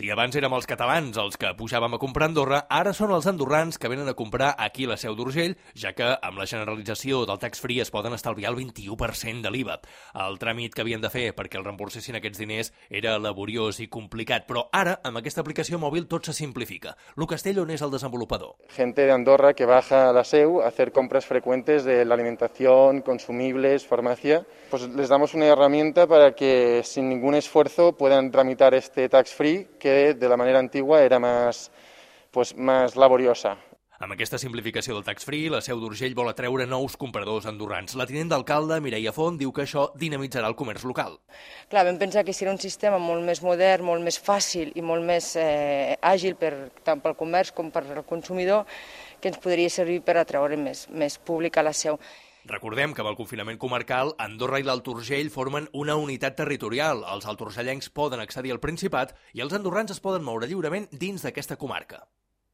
Si abans érem els catalans els que pujàvem a comprar a Andorra, ara són els andorrans que venen a comprar aquí a la Seu d'Urgell, ja que amb la generalització del tax-free es poden estalviar el 21% de l'IVA. El tràmit que havien de fer perquè els reemborsessin aquests diners era laboriós i complicat, però ara, amb aquesta aplicació mòbil, tot se simplifica. Lu Castello n'és el desenvolupador. Gente de Andorra que baja a la Seu a hacer compras frecuentes de la alimentación, consumibles, farmacia, pues les damos una herramienta para que sin ningún esfuerzo puedan tramitar este tax-free que de la manera antigua era más laboriosa. Amb aquesta simplificació del tax-free, la Seu d'Urgell vol atreure nous compradors andorrans. La tinent d'alcalde, Mireia Font, diu que això dinamitzarà el comerç local. Clar, vam pensar que serà un sistema molt més modern, molt més fàcil i molt més àgil tant pel comerç com per al consumidor, que ens podria servir per atreure més públic a la Seu. Recordem que amb el confinament comarcal, Andorra i l'Alt Urgell formen una unitat territorial. Els alturgellencs poden accedir al Principat i els andorrans es poden moure lliurement dins d'aquesta comarca.